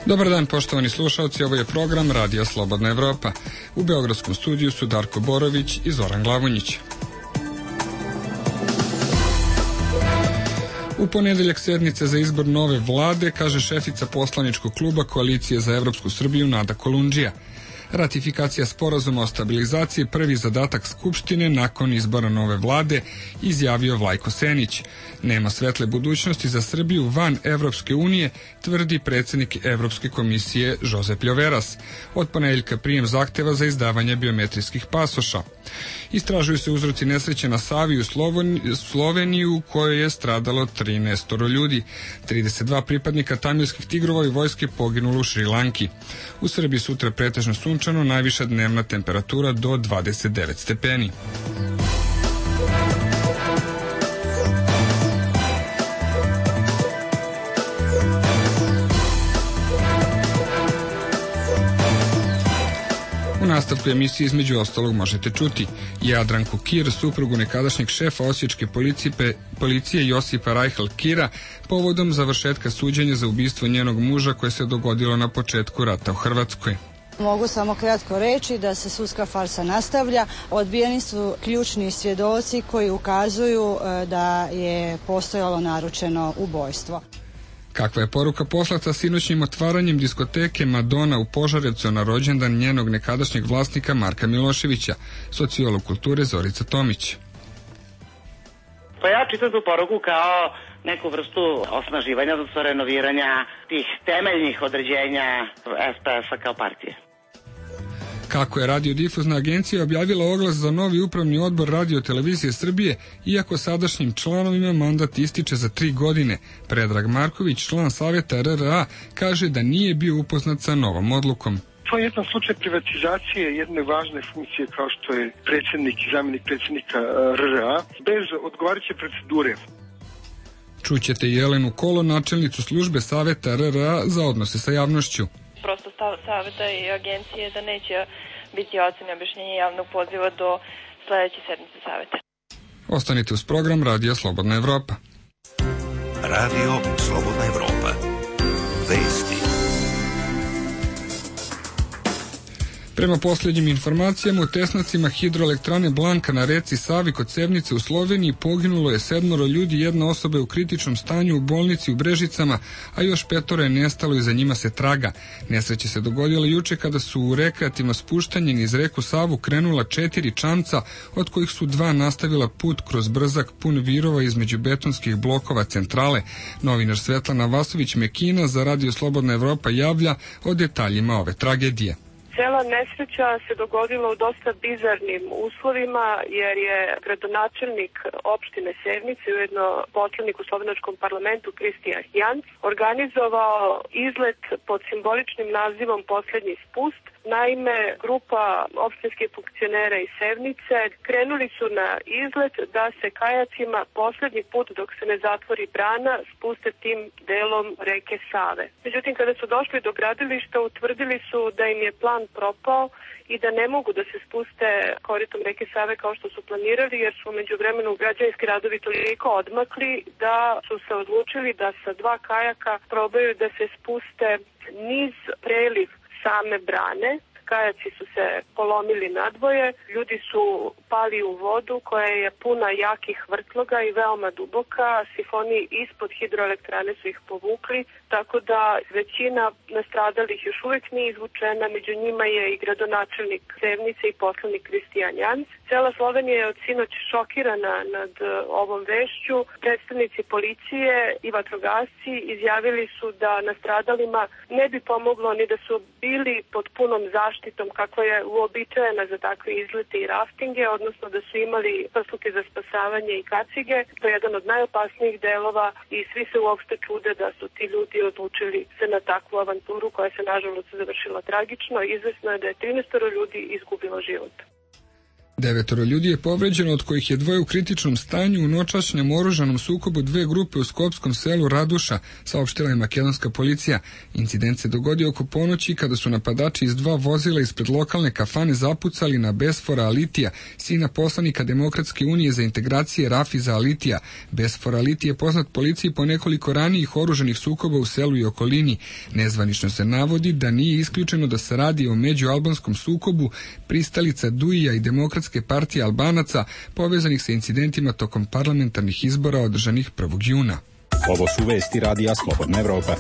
Dobar dan, poštovani slušalci, ovo je program Radio Slobodna Evropa. U beogradskom studiju su Darko Borović i Zoran Glavonjić. U ponedeljak sednice za izbor nove vlade, kaže šefica poslaničkog kluba Koalicije za Evropsku Srbiju Nada Kolundžija. Ratifikacija sporazuma o stabilizaciji prvi zadatak Skupštine nakon izbora nove vlade, izjavio Vlajko Senić. Nema svetle budućnosti za Srbiju van Evropske unije, tvrdi predsjednik Evropske komisije Josep Ljoveras. Od ponedeljka prijem zahteva za izdavanje biometrijskih pasoša. Istražuju se uzroci nesreće na Savi u Sloveniji u kojoj je stradalo 13 ljudi. 32 pripadnika tamilskih tigrova i vojske poginulo u Šrilanki. U Srbiji sutra pretežno sunčano, najviša dnevna temperatura do 29 stepeni. U nastavku emisije između ostalog možete čuti Jadranku Kir, suprugu nekadašnjeg šefa osječke policije Josipa Rajhl Kira, povodom završetka suđenja za ubistvo njenog muža koje se dogodilo na početku rata u Hrvatskoj. Mogu samo kratko reći da se sudska farsa nastavlja. Odbijeni su ključni svjedoci koji ukazuju da je postojalo naručeno ubojstvo. Kakva je poruka poslata sinoćnim otvaranjem diskoteke Madonna u Požarevcu na rođendan njenog nekadašnjeg vlasnika Marka Miloševića, sociolog kulture Zorica Tomić. Pa ja čitam tu poruku kao neku vrstu osnaživanja, odnosno renoviranja tih temeljnih određenja SPS-a kao partije. Kako je radiodifuzna agencija objavila oglas za novi upravni odbor Radio-televizije Srbije, iako sadašnjim članovima mandat ističe za 3 godine, Predrag Marković, član savjeta RRA, kaže da nije bio upoznat sa novom odlukom. To je jedan slučaj privatizacije jedne važne funkcije kao što je predsjednik i zamjenik predsjednika RRA, bez odgovarajuće procedure. Čućete Jelenu Kolo, načelnicu službe savjeta RRA za odnose sa javnošću. Prosto stav savjeta i agencije da neće biti ocene objašnjenja javnog poziva do sledeće sedmice savjeta. Ostanite uz program Radio Slobodna Evropa. Radio Slobodna Evropa. Vesti. Prema posljednjim informacijama, u tesnacima hidroelektrane Blanka na reci Savi kod Sevnice u Sloveniji poginulo je 7 ljudi, 1 osoba je u kritičnom stanju u bolnici u Brežicama, a još 5 je nestalo i za njima se traga. Nesreća se dogodila juče kada su u rekreativno spuštanje niz reku Savu krenula 4 čamca, od kojih su 2 nastavila put kroz brzak pun virova između betonskih blokova centrale. Novinar Svetlana Vasović-Mekina za Radio Slobodna Evropa javlja o detaljima ove tragedije. Cela nesreća se dogodila u dosta bizarnim uslovima jer je gradonačelnik opštine Sevnice, ujedno poslanik u slovenačkom parlamentu Kristijan Janc, organizovao izlet pod simboličnim nazivom Poslednji spust. Naime, grupa opštinskih funkcionera iz Sevnice krenuli su na izlet da se kajacima poslednji put dok se ne zatvori brana spuste tim delom reke Save. Međutim, kada su došli do gradilišta, utvrdili su da im je plan propao i da ne mogu da se spuste koritom reke Save kao što su planirali, jer su umeđu vremenu građevinski radovi toliko odmakli da su se odlučili da sa 2 kajaka probaju da se spuste niz preliv same brane. Kajaci su se polomili nadvoje, ljudi su pali u vodu koja je puna jakih vrtloga i veoma duboka, sifoni ispod hidroelektrane su ih povukli, tako da većina nastradalih još uvek nije izvučena, među njima je i gradonačelnik Sevnice i poslanik Kristijan Janc. Cela Slovenija je od sinoć šokirana nad ovom vešću. Predstavnici policije i vatrogasci izjavili su da nastradalima ne bi pomoglo ni da su bili pod punom zaštitom kakva je uobičajena za takve izlete i raftinge, odnosno da su imali prsluke za spasavanje i kacige. To je jedan od najopasnijih delova i svi se uopšte čude da su ti ljudi odlučili se na takvu avanturu koja se nažalost završila tragično. Izvesno je da je 13 ljudi izgubilo život. 9 ljudi je povređeno, od kojih je 2 u kritičnom stanju u noćašnjem oružanom sukobu 2 grupe u skopskom selu Raduša, saopštila je makedonska policija. Incident se dogodio oko ponoći kada su napadači iz 2 vozila ispred lokalne kafane zapucali na Besfora Alitija, sina poslanika Demokratske unije za integracije Rafiza Alitija. Besfora Aliti je poznat policiji po nekoliko ranijih oružanih sukoba u selu i okolini. Nezvanično se navodi da nije isključeno da se radi o međualbanskom sukobu pristalica Duija i Demokratske partije Albanaca povezanih sa incidentima tokom parlamentarnih izbora održanih 1. juna. Ovo su vesti Radija Slobodna Evropa.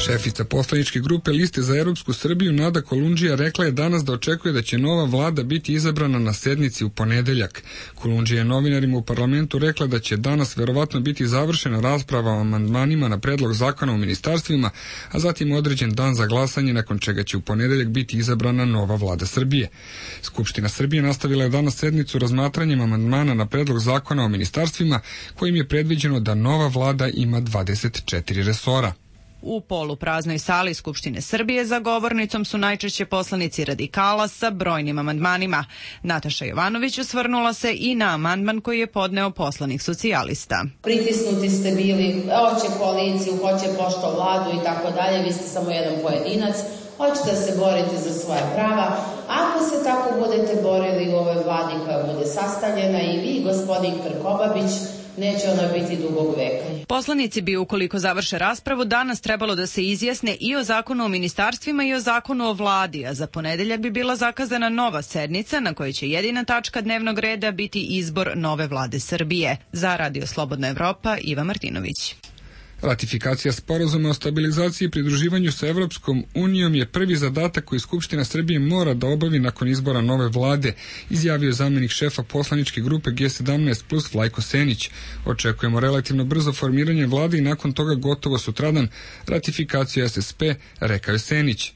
Šefica poslaničke grupe Liste za Europsku Srbiju Nada Kolundžija rekla je danas da očekuje da će nova vlada biti izabrana na sednici u ponedeljak. Kolundžija je novinarima u parlamentu rekla da će danas verovatno biti završena rasprava o amandmanima na predlog zakona o ministarstvima, a zatim određen dan za glasanje, nakon čega će u ponedeljak biti izabrana nova vlada Srbije. Skupština Srbije nastavila je danas sednicu razmatranjem amandmana na predlog zakona o ministarstvima, kojim je predviđeno da nova vlada ima 24 resora. U polupraznoj sali Skupštine Srbije za govornicom su najčešće poslanici radikala sa brojnim amandmanima. Nataša Jovanović osvrnula se i na amandman koji je podneo poslanik socijalista. Pritisnuti ste bili, hoće koaliciju, hoće pošto vladu i tako dalje, vi ste samo jedan pojedinac, hoćete da se borite za svoja prava. Ako se tako budete borili u ovoj vladi koja bude sastavljena i vi, gospodin Krkobabić, neće ona biti dugog veka. Poslanici bi, ukoliko završe raspravu, danas trebalo da se izjasne i o zakonu o ministarstvima i o zakonu o vladi, a za ponedeljak bi bila zakazana nova sednica na kojoj će jedina tačka dnevnog reda biti izbor nove vlade Srbije. Za Radio Slobodna Evropa, Iva Martinović. Ratifikacija sporazuma o stabilizaciji i pridruživanju sa Evropskom unijom je prvi zadatak koji Skupština Srbije mora da obavi nakon izbora nove vlade, izjavio zamenik šefa poslaničke grupe G17 plus Vlajko Senić. Očekujemo relativno brzo formiranje vlade i nakon toga gotovo sutradan ratifikaciju SSP, rekao je Senić.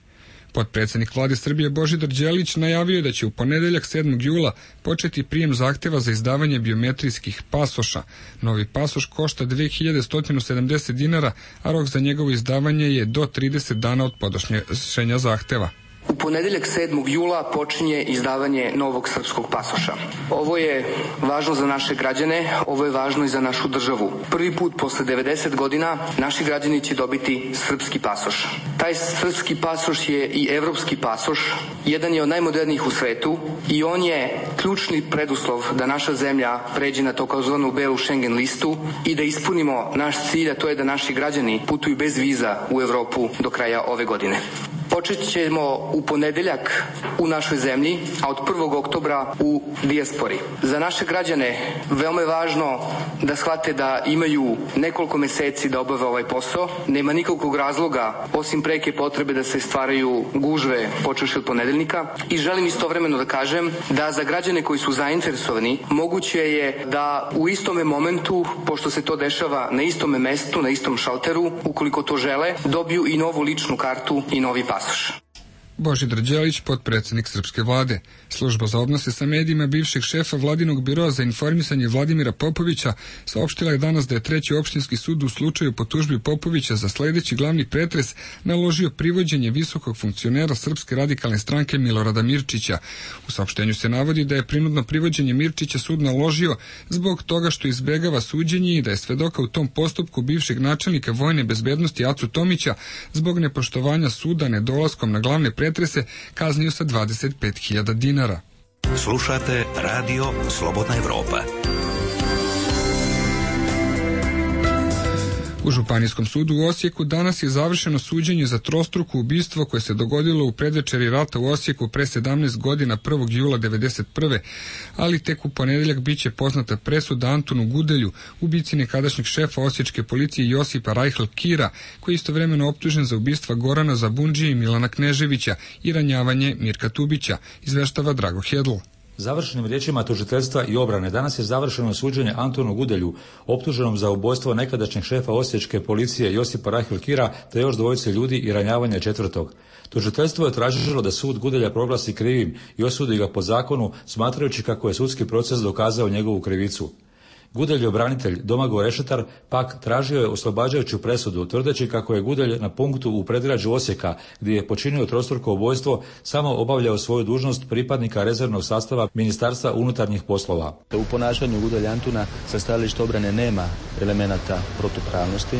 Potpredsednik vlade Srbije Božidar Đelić najavio je da će u ponedeljak 7. jula početi prijem zahteva za izdavanje biometrijskih pasoša. Novi pasoš košta 2170 dinara, a rok za njegovo izdavanje je do 30 dana od podnošenja zahteva. U ponedeljak 7. jula počinje izdavanje novog srpskog pasoša. Ovo je važno za naše građane, ovo je važno i za našu državu. Prvi put posle 90 godina naši građani će dobiti srpski pasoš. Taj srpski pasoš je i evropski pasoš, jedan je od najmodernijih u svetu i on je ključni preduslov da naša zemlja pređe na takozvanu belu Schengen listu i da ispunimo naš cilj, a to je da naši građani putuju bez viza u Evropu do kraja ove godine. Počet ćemo u ponedeljak u našoj zemlji, a od 1. oktobra u dijaspori. Za naše građane veoma je važno da shvate da imaju nekoliko meseci da obave ovaj posao. Nema nikakvog razloga, osim preke potrebe da se stvaraju gužve počevši od ponedeljnika. I želim istovremeno da kažem da za građane koji su zainteresovani, moguće je da u istome momentu, pošto se to dešava na istome mestu, na istom šalteru, ukoliko to žele, dobiju i novu ličnu kartu i novi pasoš. Božidar Đelić, potpredsednik srpske vlade. Služba za odnose sa medijima bivšeg šefa vladinog biroa za informisanje Vladimira Popovića saopštila je danas da je Treći opštinski sud u slučaju po tužbi Popovića za sledeći glavni pretres naložio privođenje visokog funkcionera Srpske radikalne stranke Milorada Mirčića. U saopštenju se navodi da je prinudno privođenje Mirčića sud naložio zbog toga što izbegava suđenje i da je svedoka u tom postupku bivšeg načelnika vojne bezbednosti Acu Tomića zbog nepoštovanja suda nedolaskom na glavne pretrese kaznio sa 25.000 dinara. Slušate Radio Slobodna Evropa. U Županijskom sudu u Osijeku danas je završeno suđenje za trostruko ubistvo koje se dogodilo u predvečeri rata u Osijeku pre 17 godina 1. jula 1991. Ali tek u ponedeljak biće poznata presuda Antunu Gudelju, ubici nekadašnjeg šefa osječke policije Josipa Rajhl Kira, koji je istovremeno optužen za ubistva Gorana Zabundžije i Milana Kneževića i ranjavanje Mirka Tubića, izveštava Drago Hedl. Završenim riječima tužiteljstva i obrane danas je završeno suđenje Antonu Gudelju, optuženom za ubojstvo nekadašnjeg šefa osječke policije Josipa Rajhl Kira te još dvojice ljudi i ranjavanje četvrtog. Tužiteljstvo je tražilo da sud Gudelja proglasi krivim i osudi ga po zakonu, smatrajući kako je sudski proces dokazao njegovu krivicu. Gudelj obranitelj Domagoj Rešetar pak tražio je oslobađajuću presudu, tvrdeći kako je Gudelj na punktu u predgrađu Osijeka, gdje je počinio trostruko ubojstvo, samo obavljao svoju dužnost pripadnika rezervnog sastava Ministarstva unutarnjih poslova. U ponašanju Gudelja Antuna sa stajališta obrane nema elemenata protupravnosti,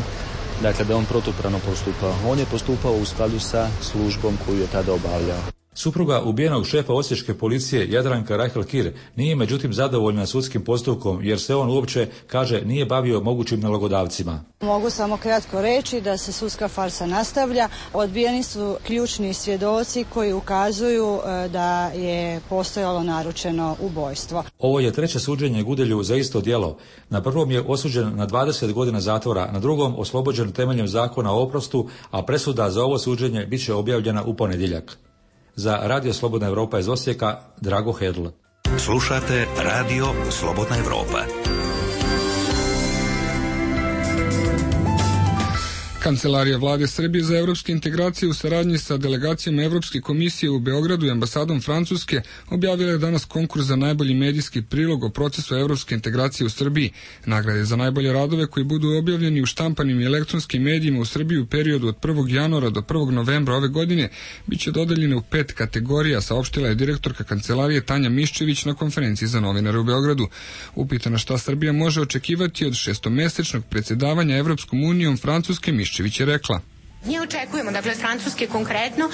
dakle da on protupravno postupao. On je postupao u skladu sa službom koju je tada obavljao. Supruga ubijenog šefa osječke policije Jadranka Rahel Kir nije međutim zadovoljna sudskim postupkom jer se on uopće, kaže, nije bavio mogućim nalogodavcima. Mogu samo kratko reći da se sudska farsa nastavlja. Odbijeni su ključni svjedoci koji ukazuju da je postojalo naručeno ubojstvo. Ovo je treće suđenje Gudelju za isto djelo. Na prvom je osuđen na 20 godina zatvora, na drugom oslobođen temeljem zakona o oprostu, a presuda za ovo suđenje bit će objavljena u ponedjeljak. Za Radio Slobodna Evropa iz Osijeka, Drago Hedl. Slušate Radio Slobodna Evropa. Kancelarija Vlade Srbije za evropske integracije u saradnji sa delegacijom Evropske komisije u Beogradu i ambasadom Francuske objavila je danas konkurs za najbolji medijski prilog o procesu evropske integracije u Srbiji. Nagrade za najbolje radove koji budu objavljeni u štampanim i elektronskim medijima u Srbiji u periodu od 1. januara do 1. novembra ove godine biće dodeljene u 5 kategorija, saopštila je direktorka kancelarije Tanja Miščević na konferenciji za novinare u Beogradu. Upitana šta Srbija može očekivati od šestomesečnog predsjedavanja Evropskom unijom, Francuske Miščević je rekla: Mi očekujemo, dakle, Francuske konkretno,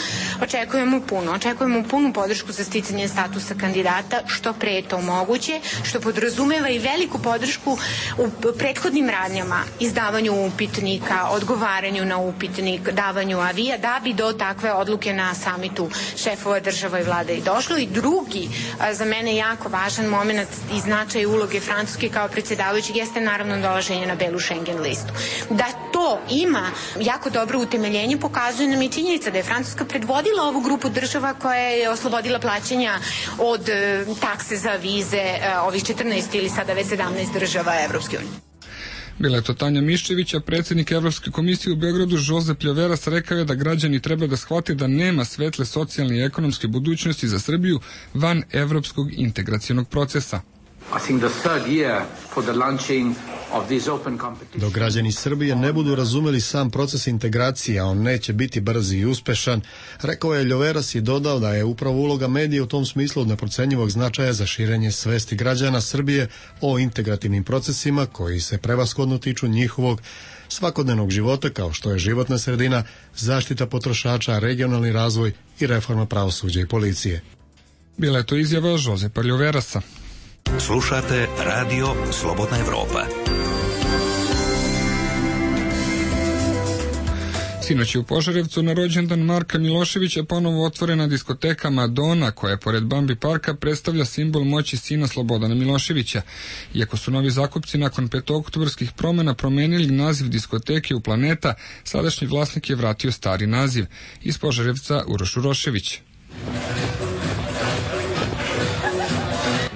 očekujemo punu podršku za sticanje statusa kandidata, što pre je to moguće, što podrazumeva i veliku podršku u prethodnim radnjama, izdavanju upitnika, odgovaranju na upitnik, davanju avija, da bi do takve odluke na samitu šefova država i vlade i došlo. I drugi, za mene jako važan moment i značaj uloge Francuske kao predsjedavajućeg jeste naravno dolaženje na belu Schengen listu. Da to ima jako dobro utemeljenje pokazuje nam i činjenica da je Francuska predvodila ovu grupu država koja je oslobodila plaćanja od takse za vize ovih 14 ili sada već 17 država Evropske unije. Bila je to Tanja Miščević, a predsjednik Evropske komisije u Beogradu Josep Ljoveras rekao je da građani treba da shvate da nema svetle socijalne i ekonomske budućnosti za Srbiju van evropskog integracionog procesa. Dok građani Srbije ne budu razumeli sam proces integracije, a on neće biti brz i uspešan, rekao je Ljoveras i dodao da je upravo uloga medija u tom smislu od neprocenjivog značaja za širenje svesti građana Srbije o integrativnim procesima koji se prevashodno tiču njihovog svakodnevnog života, kao što je životna sredina, zaštita potrošača, regionalni razvoj i reforma pravosuđa i policije. Bila je to izjava Josepa Ljoverasa. Slušate Radio Slobodna Evropa. Sinoć je u Požarevcu na rođendan Marka Miloševića ponovo otvorena diskoteka Madonna, koja pored Bambi parka predstavlja simbol moći sina Slobodana Miloševića. Iako su novi zakupci nakon petooktobarskih promjena promenili naziv diskoteke u Planeta, sadašnji vlasnik je vratio stari naziv. Iz Požarevca Uroš Urošević.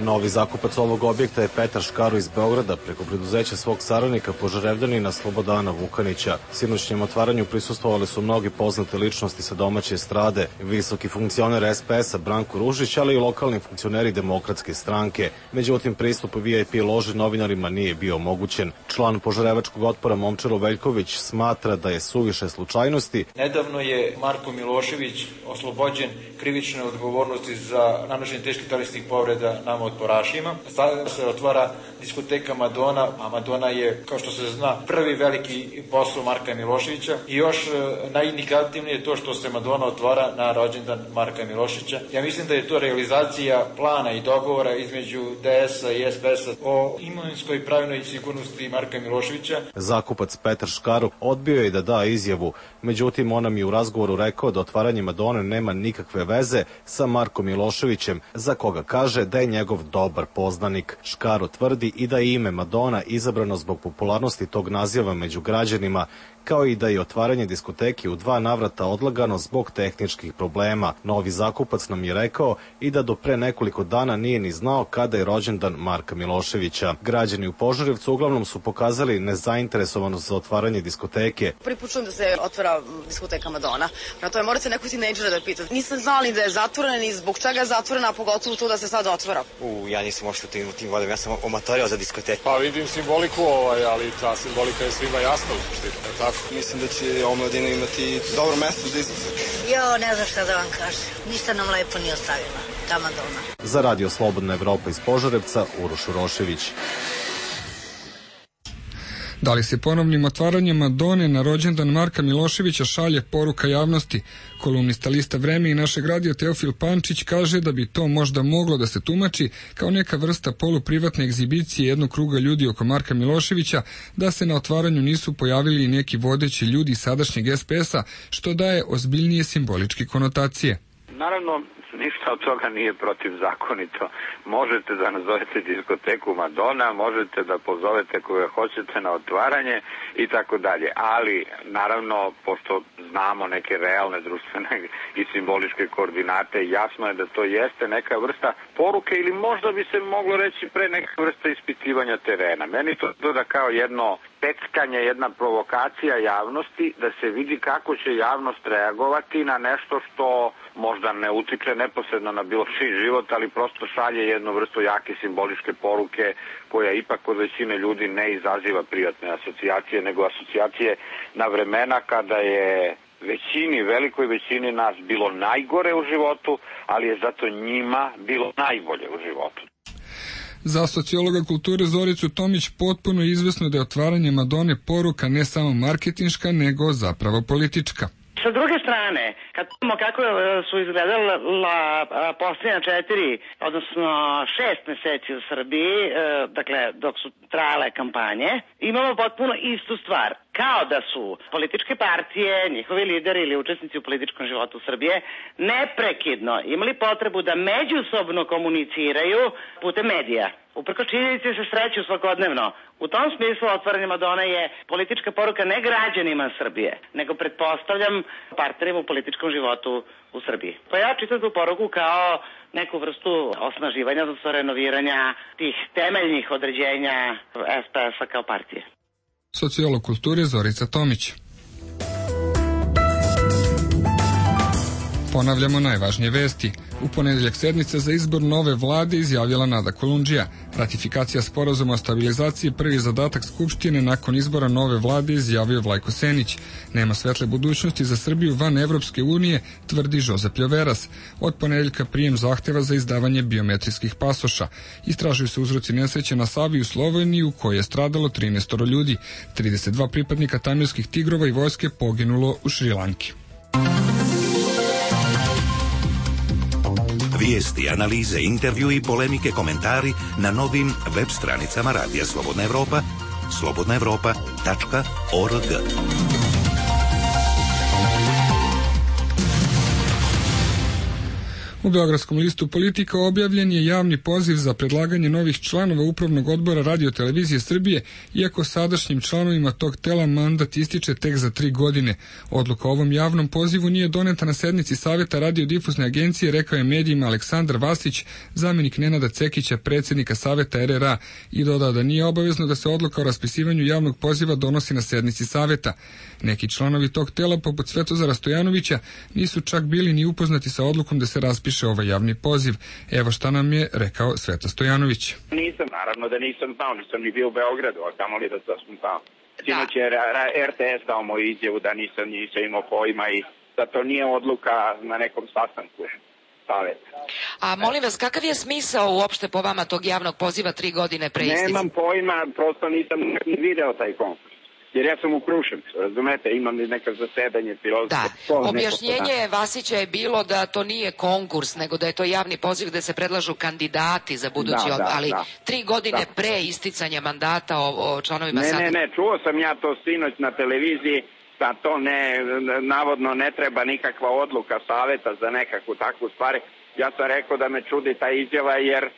Novi zakupac ovog objekta je Petar Škaro iz Beograda preko preduzeća svog saradnika Požarevljanina Slobodana Vukanića. Sinoćnjem otvaranju prisustvovali su mnogi poznate ličnosti sa domaće estrade, visoki funkcioner SPS-a Branko Ružić, ali i lokalni funkcioneri Demokratske stranke. Međutim, pristup VIP loži novinarima nije bio omogućen. Član Požarevačkog otpora Momčilo Veljković smatra da je suviše slučajnosti. Nedavno je Marko Milošević oslobođen krivične odgovornosti za nanošenje teških telesnih povreda nama otporašima. Sada se otvara diskoteka Madonna, a Madonna je, kao što se zna, prvi veliki posao Marka Miloševića. I još najindikativnije je to što se Madonna otvara na rođendan Marka Miloševića. Ja mislim da je to realizacija plana i dogovora između DS-a i SPS-a o imovinskoj pravilnoj sigurnosti Marka Miloševića. Zakupac Petar Škaro odbio je da da izjavu, međutim on nam je u razgovoru rekao da otvaranje Madone nema nikakve veze sa Markom Miloševićem, za koga kaže da je njegov dobar poznanik. Škaro tvrdi i da je ime Madonna izabrano zbog popularnosti tog naziva među građanima, kao i da je otvaranje diskoteke u 2 navrata odlagano zbog tehničkih problema. Novi zakupac nam je rekao i da do pre nekoliko dana nije ni znao kada je rođendan Marka Miloševića. Građani u Požarevcu uglavnom su pokazali nezainteresovanost za otvaranje diskoteke. Prvi put čujem da se otvara diskoteka Madonna. Na to je morate neko tinejdžera da pita. Nisam znala ni da je zatvorena ni zbog čega je zatvorena, a pogotovo to da se sad otvara. Ja nisam uopšte u tim vodama, ja sam omatorio za diskoteku. Pa vidim simboliku, ali ta simbolika je svima jasna u suštini, tako? Mislim da će omladina imati dobro mesto za izlazak. Ne znam šta da vam kažem. Ništa nam lepo nije ostavila, ta Madonna. Za Radio Slobodna Evropa iz Požarevca, Uroš Urošević. Da li se ponovnim otvaranjem Madone na rođendan Marka Miloševića šalje poruka javnosti? Kolumnista lista Vreme i našeg radija Teofil Pančić kaže da bi to možda moglo da se tumači kao neka vrsta poluprivatne egzibicije jednog kruga ljudi oko Marka Miloševića, da se na otvaranju nisu pojavili i neki vodeći ljudi sadašnjeg SPS-a, što daje ozbiljnije simboličke konotacije. Naravno, ništa od toga nije protivzakonito. Možete da nazovete diskoteku Madonna, možete da pozovete koga hoćete na otvaranje i tako dalje. Ali, naravno, pošto znamo neke realne društvene i simboličke koordinate, jasno je da to jeste neka vrsta poruke ili možda bi se moglo reći pre neka vrsta ispitivanja terena. Meni to da kao jedno peckanje, jedna provokacija javnosti, da se vidi kako će javnost reagovati na nešto što možda ne utiče neposredno na bilo čiji život, ali prosto šalje jednu vrstu jake simboličke poruke koja ipak kod većine ljudi ne izaziva prijatne asocijacije, nego asocijacije na vremena kada je velikoj većini nas bilo najgore u životu, ali je zato njima bilo najbolje u životu. Za sociologa kulture Zoricu Tomić potpuno je izvesno da je otvaranje Madone poruka ne samo marketinška, nego zapravo politička. Sa druge strane, kad vidimo kako su izgledala posljednja 4, odnosno 6 meseci u Srbiji, dakle dok su trajale kampanje, imamo potpuno istu stvar. Kao da su političke partije, njihovi lideri ili učesnici u političkom životu Srbije neprekidno imali potrebu da međusobno komuniciraju putem medija. Uprkos činjenici se sreću svakodnevno. U tom smislu otvaranje Madone je politička poruka ne građanima Srbije, nego pretpostavljam partnerima u političkom životu u Srbiji. Pa ja čitam tu poruku kao neku vrstu osnaživanja, odnosno renoviranja tih temeljnih određenja SPS-a kao partije. Sociolog kulture Zorica Tomić. Ponavljamo najvažnije vesti. U ponedeljak sednica za izbor nove vlade izjavila Nada Kolundžija. Ratifikacija sporazuma o stabilizaciji prvi zadatak Skupštine nakon izbora nove vlade, izjavio Vlajko Senić. Nema svetle budućnosti za Srbiju van Evropske unije, tvrdi Žozep Ljoveras. Od ponedeljka prijem zahteva za izdavanje biometrijskih pasoša. Istražuju se uzroci nesreće na Savi u Sloveniji u kojoj je stradalo 13 ljudi. 32 pripadnika tamilskih tigrova i vojske poginulo u Šrilanki. Vijesti, analize, intervju i polemike, komentari na novim web stranicama Radija Slobodna Evropa, slobodnaevropa.org. U Beogradskom listu Politika objavljen je javni poziv za predlaganje novih članova Upravnog odbora Radio-televizije Srbije, iako sadašnjim članovima tog tela mandat ističe tek za 3 godine. Odluka o ovom javnom pozivu nije doneta na sednici Saveta radiodifuzne agencije, rekao je medijima Aleksandar Vasić, zamenik Nenada Cekića, predsjednika Saveta RRA, i dodao da nije obavezno da se odluka o raspisivanju javnog poziva donosi na sednici Saveta. Neki članovi tog tela, poput Svetozara Stojanovića, nisu čak bili ni upoznati sa odlukom da se raspiše ovaj javni poziv. Evo šta nam je rekao Sveto Stojanović. Nisam, naravno da nisam znao, nisam ni bio u Beogradu, a kamoli da sam znao. Sinoć je RTS dao moju izjavu da nisam imao pojma i da to nije odluka na nekom sastanku Saveta. A molim vas, kakav je smisao uopšte po vama tog javnog poziva 3 godine pre isticanja? Nemam pojma, prosto nisam ni video taj konkurs. Jer ja sam u Kruševcu, razumete, imam neka zasedanje pilotske. Da, objašnjenje Vasića je bilo da to nije konkurs, nego da je to javni poziv gde se predlažu kandidati za budući odbor, ali 3 godine pre isticanja mandata o članovima Saveta. Ne, čuo sam ja to sinoć na televiziji, da to navodno ne treba nikakva odluka Saveta za nekakvu takvu stvar. Ja sam rekao da me čudi ta izjava jer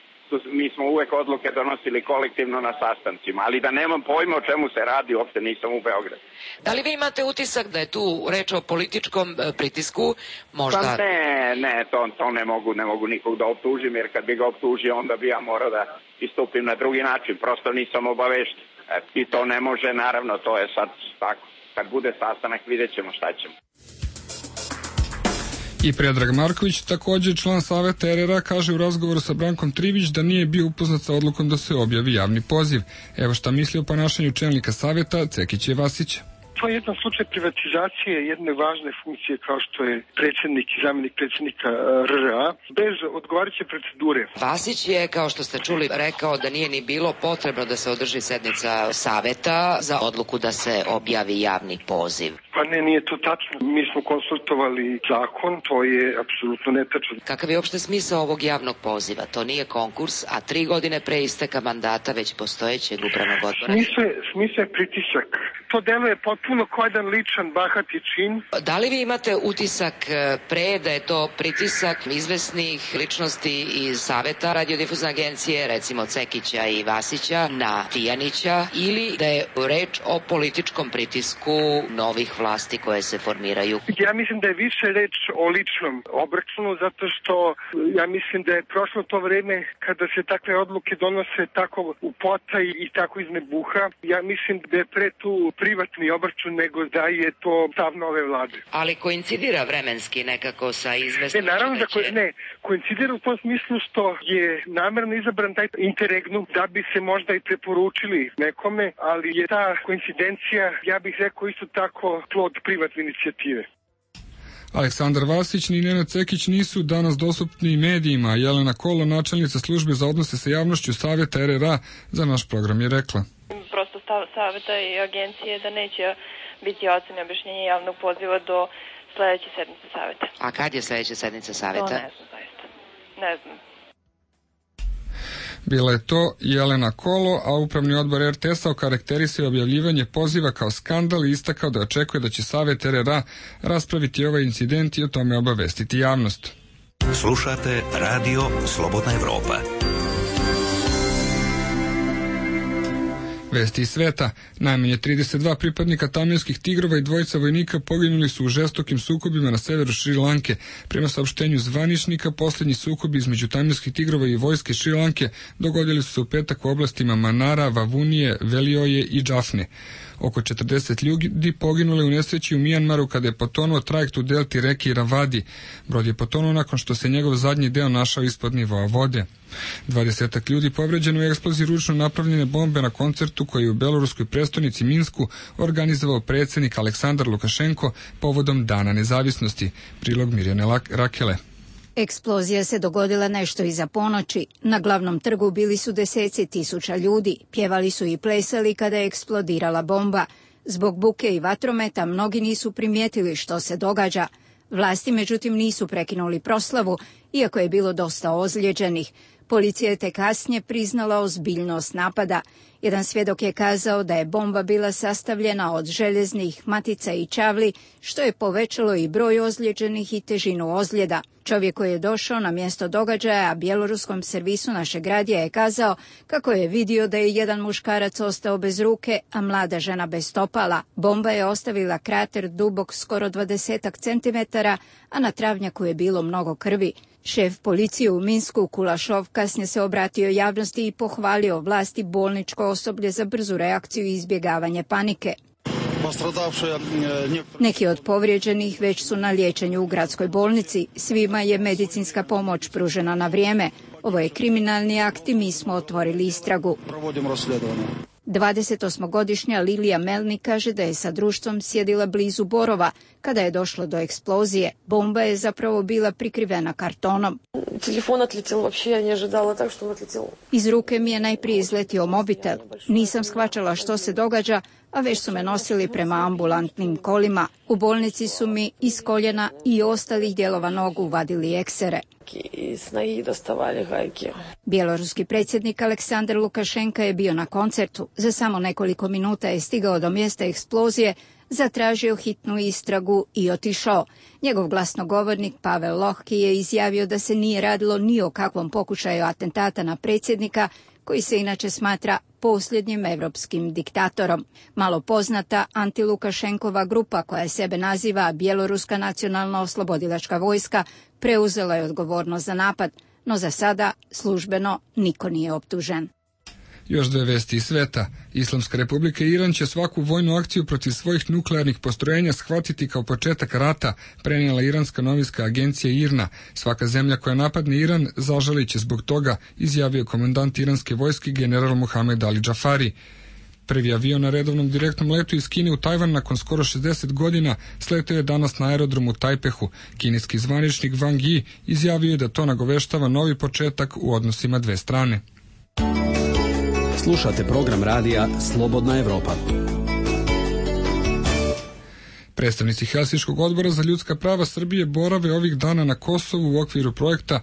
mi smo uvek odluke donosili kolektivno na sastancima, ali da nemam pojma o čemu se radi, uopšte nisam u Beogradu. Da li vi imate utisak da je tu reč o političkom pritisku? Možda... Pa ne, to ne mogu nikog da optužim, jer kad bi ga optužio, onda bi ja morao da istupim na drugi način, prosto nisam obavešten. I to ne može, naravno, to je sad tako. Kad bude sastanak, vidjet ćemo šta ćemo. I Predrag Marković, također član Saveta RRA, kaže u razgovoru sa Brankom Trivić da nije bio upoznat sa odlukom da se objavi javni poziv. Evo šta misli o ponašanju čelnika Saveta Cekića i Vasića. To je jedan slučaj privatizacije jedne važne funkcije kao što je predsjednik i zamjenik predsjednika RRA bez odgovarajuće procedure. Vasić je, kao što ste čuli, rekao da nije ni bilo potrebno da se održi sednica Saveta za odluku da se objavi javni poziv. Pa ne, nije to tačno. Mi smo konsultovali zakon, to je apsolutno netačno. Kakav je uopšte smisao ovog javnog poziva? To nije konkurs, a 3 godine pre isteka mandata već postojećeg upravnog odbora. Smisao je pritisak. To deluje potpuno kao jedan ličan, bahati čin. Da li vi imate utisak pre da je to pritisak izvesnih ličnosti iz Saveta radiodifuzne agencije, recimo Cekića i Vasića, na Tijanića, ili da je reč o političkom pritisku novih vlasti koje se formiraju? Ja mislim da je više reč o ličnom obračunu, zato što ja mislim da je prošlo to vreme kada se takve odluke donose tako u potaj i tako iz nebuha. Ja mislim da je pre tu privatni obračun nego da je to stav nove vlade. Ali koincidira vremenski nekako sa izvesnim... Naravno da koincidira u tom smislu što je namerno izabran taj interregnum da bi se možda i preporučili nekome, ali je ta koincidencija, ja bih rekao isto tako, plod privatne inicijative. Aleksandar Vasić ni Nenad Cekić nisu danas dostupni medijima. Jelena Kolo, načelnica službe za odnose sa javnošću Saveta RRA, za naš program je rekla. Prosto stav Saveta i agencije da neće biti ocene objašnjenja javnog poziva do sledeće sednice Saveta. A kad je sledeća sednica Saveta? To ne znam zaista. Ne znam. Bila je to Jelena Kolo, a upravni odbor RTS-a okarakterisao objavljivanje poziva kao skandal i istakao da očekuje da će Savet RRA raspraviti ovaj incident i o tome obavestiti javnost. Slušate Radio Slobodna Evropa. Vesti iz sveta. Najmanje 32 pripadnika tamilskih tigrova i 2 vojnika poginuli su u žestokim sukobima na severu Šri Lanke. Prema saopštenju zvaničnika, posljednji sukobi između tamilskih tigrova i vojske Šri Lanke dogodili su se u petak u oblastima Manara, Vavunije, Velioje i Džafne. Oko 40 ljudi poginule u nesreći u Mijanmaru kada je potonuo trajekt u delti reke Iravadi. Brod je potonuo nakon što se njegov zadnji deo našao ispod nivoa vode. 20 ljudi povređeno u eksploziji ručno napravljene bombe na koncertu koji je u beloruskoj prestonici Minsku organizovao predsjednik Aleksandar Lukašenko povodom Dana nezavisnosti. Prilog Mirjane Rakele. Eksplozija se dogodila nešto iza ponoći. Na glavnom trgu bili su deseci tisuća ljudi. Pjevali su i plesali kada je eksplodirala bomba. Zbog buke i vatrometa mnogi nisu primijetili što se događa. Vlasti međutim nisu prekinuli proslavu, iako je bilo dosta ozlijeđenih. Policija je tek kasnije priznala ozbiljnost napada. Jedan svjedok je kazao da je bomba bila sastavljena od željeznih matica i čavli, što je povećalo i broj ozlijeđenih i težinu ozljeda. Čovjek koji je došao na mjesto događaja, a bjeloruskom servisu našeg radija je kazao kako je vidio da je jedan muškarac ostao bez ruke, a mlada žena bez stopala. Bomba je ostavila krater dubok skoro 20 centimetara, a na travnjaku je bilo mnogo krvi. Šef policije u Minsku, Kulašov, kasnije se obratio javnosti i pohvalio vlasti bolničko osoblje za brzu reakciju i izbjegavanje panike. Neki od povrijeđenih već su na liječenju u gradskoj bolnici. Svima je medicinska pomoć pružena na vrijeme. Ovo je kriminalni akt i mi smo otvorili istragu. 28-godišnja Lilija Melnik kaže da je sa društvom sjedila blizu Borova kada je došlo do eksplozije. Bomba je zapravo bila prikrivena kartonom. Telefon odletio, uopće ja ne ожидала tak što odletio. Iz ruke mi je najprije izletio mobitel. Nisam shvaćala što se događa, a već su me nosili prema ambulantnim kolima. U bolnici su mi iz koljena i ostalih dijelova nogu vadili eksere. Bjeloruski predsjednik Aleksandar Lukašenka je bio na koncertu. Za samo nekoliko minuta je stigao do mjesta eksplozije zatražio hitnu istragu i otišao. Njegov glasnogovornik Pavel Lohki je izjavio da se nije radilo ni o kakvom pokušaju atentata na predsjednika, koji se inače smatra posljednjim evropskim diktatorom. Malo poznata antilukašenkova grupa, koja sebe naziva Bjeloruska nacionalna oslobodilačka vojska, preuzela je odgovornost za napad, no za sada službeno niko nije optužen. Još dve vesti iz sveta. Islamska republika Iran će svaku vojnu akciju protiv svojih nuklearnih postrojenja shvatiti kao početak rata, prenijela iranska novinska agencija IRNA. Svaka zemlja koja napadne Iran zažalit će zbog toga, izjavio komandant iranske vojske general Mohamed Ali Džafari. Prvi avion na redovnom direktnom letu iz Kine u Tajvan nakon skoro 60 godina sletio je danas na aerodromu Tajpehu. Kineski zvaničnik Wang Yi izjavio je da to nagoveštava novi početak u odnosima dve strane. Slušate program radija Slobodna Evropa. Predstavnici Helsinškog odbora za ljudska prava Srbije borave ovih dana na Kosovu u okviru projekta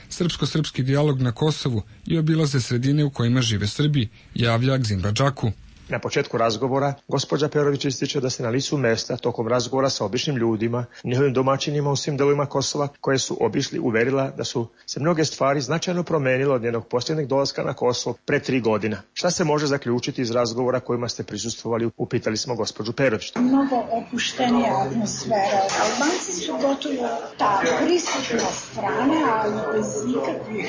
Srpsko-srpski dijalog na Kosovu i obilaze sredine u kojima žive Srbi, javlja Gzimba Džaku. Na početku razgovora, gospođa Perović ističe da se na licu mesta tokom razgovora sa običnim ljudima, njihovim domaćinima u svim delovima Kosova koje su obišli, uverila da su se mnoge stvari značajno promenile od njenog posljednjeg dolaska na Kosovo pre 3 godina. Šta se može zaključiti iz razgovora kojima ste prisustvovali, upitali smo gospođu Perović. Mnogo opuštenija atmosfera. Albanci su gotovo ta prisutna strana, ali bez ikakvih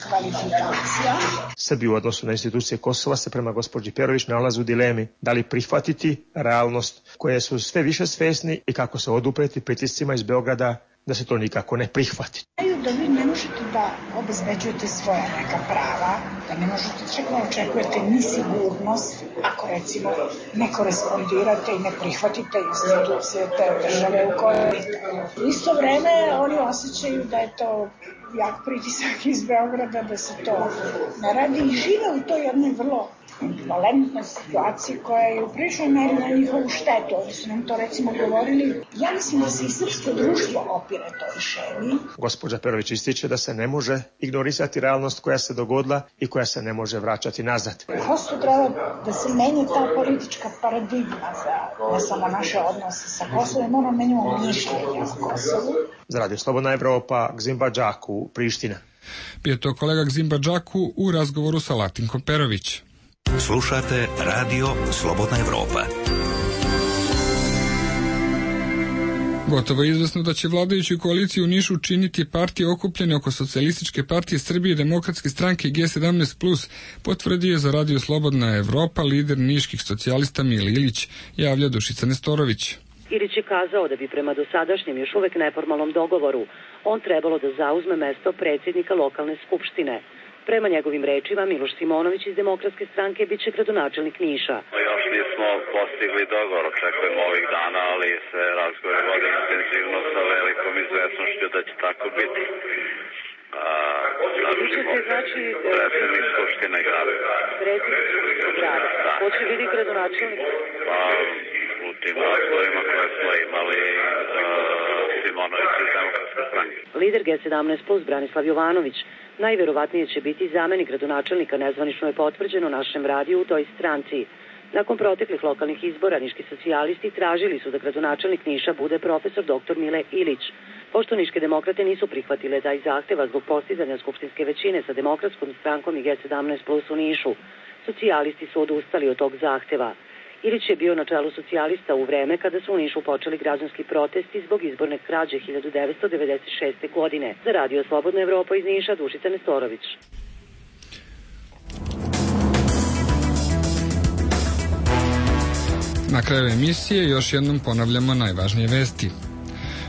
kvalifikacija. Srbi u odnosu na institucije Kosova se prema gospođi Perović nalaze u dilemi da li prihvatiti realnost koje su sve više svesni i kako se odupreti pritiscima iz Beograda da se to nikako ne prihvati. Da vi ne možete da obezbeđujete svoja neka prava, da ne možete čak da očekujete ni sigurnost ako recimo ne korespondirate i ne prihvatite institucije te države u kojoj ste. U isto vreme oni osjećaju da je to jak pritisak iz Beograda da se to ne radi i žive u toj jednoj vrlo valentnoj situaciji koja je u priličnoj meri na njihovu štetu. Oni su nam to recimo govorili. Ja mislim da se i srpsko društvo opire to rješenje. Gospođa Perović ističe da se ne može ignorisati realnost koja se dogodila i koja se ne može vraćati nazad. Prosto treba da se menja ta politička paradigma za ne samo naše odnose sa Kosovom, moramo menjamo mišljenje o Kosovu. Za Radio Slobodna Evropa, Gzimba Džaku, Priština. Bio to kolega Gzimba Džaku u razgovoru sa Latinkom Perović. Slušate Radio Slobodna Evropa. Gotovo je izvesno da će vladajuću koaliciju u Nišu činiti partije okupljene oko Socijalističke partije Srbije, Demokratske stranke i G17+, potvrdio je za Radio Slobodna Evropa lider niških socijalista Mile Ilić, javlja Dušica Nestorović. Ilić je kazao da bi prema dosadašnjem još uvek neformalnom dogovoru on trebalo da zauzme mesto predsjednika lokalne skupštine. Prema njegovim rečima, Miloš Simonović iz Demokratske stranke bit će gradonačelnik Niša. Još nismo postigli dogovor, očekujemo ovih dana, ali se razgovor vodi intenzivno sa velikom izvesnošću da će tako biti. Znači, predsjednik Skupštine grada. Predsjednik Skupštine grada. Ko će biti gradonačelnik? Pa, u tim razgovorima koje smo imali, Simonović iz Demokratske stranke. Lider G17+, Branislav Jovanović, najverovatnije će biti zamenik gradonačelnika, nezvanično je potvrđeno našem radiju u toj stranci. Nakon proteklih lokalnih izbora, niški socijalisti tražili su da gradonačelnik Niša bude profesor dr. Mile Ilić. Pošto niške demokrate nisu prihvatile taj zahteva zbog postizanja skupštinske većine sa Demokratskom strankom i G17+ u Nišu, socijalisti su odustali od tog zahteva. Ilić je bio na čelu socijalista u vreme kada su u Nišu počeli građanski protesti zbog izborne krađe 1996. godine. Za Radio Slobodna Evropa iz Niša, Dušica Nestorović. Na kraju emisije još jednom ponavljamo najvažnije vesti.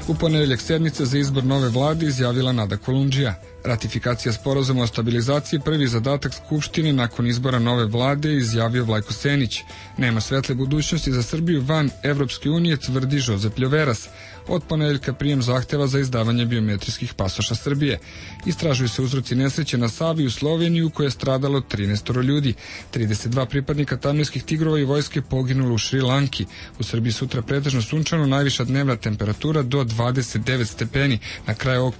U ponedeljak sednica za izbor nove vlade izjavila Nada Kolundžija. Ratifikacija sporazuma o stabilizaciji prvi zadatak Skupštine nakon izbora nove vlade, izjavio Vlajko Senić. Nema svetle budućnosti za Srbiju van Evropske unije, tvrdi Žozep Ljoveras. Od ponedeljka prijem zahteva za izdavanje biometrijskih pasoša Srbije. Istražuju se uzroci nesreće na Savi u Sloveniji u kojoj je stradalo 13 ljudi. 32 pripadnika tamilskih tigrova i vojske poginulo u Šri Lanki. U Srbiji sutra pretežno sunčano, najviša dnevna temperatura do 29 stepeni. Na kraju ovog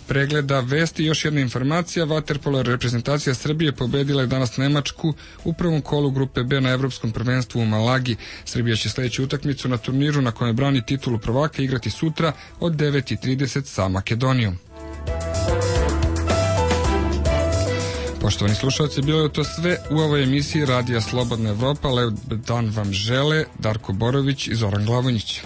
pregleda vesti još jedna informacija. Vaterpolo reprezentacija Srbije pobedila je danas Nemačku u prvom kolu grupe B na Evropskom prvenstvu u Malagi. Srbija će sledeću utakmicu na turniru na kojem brani titulu prvaka igrati sutra od 9:30 sa Makedonijom. Poštovani slušalci, bilo je to sve u ovoj emisiji Radija Slobodna Evropa. Lep dan vam žele Darko Borović i Zoran Glavonjić.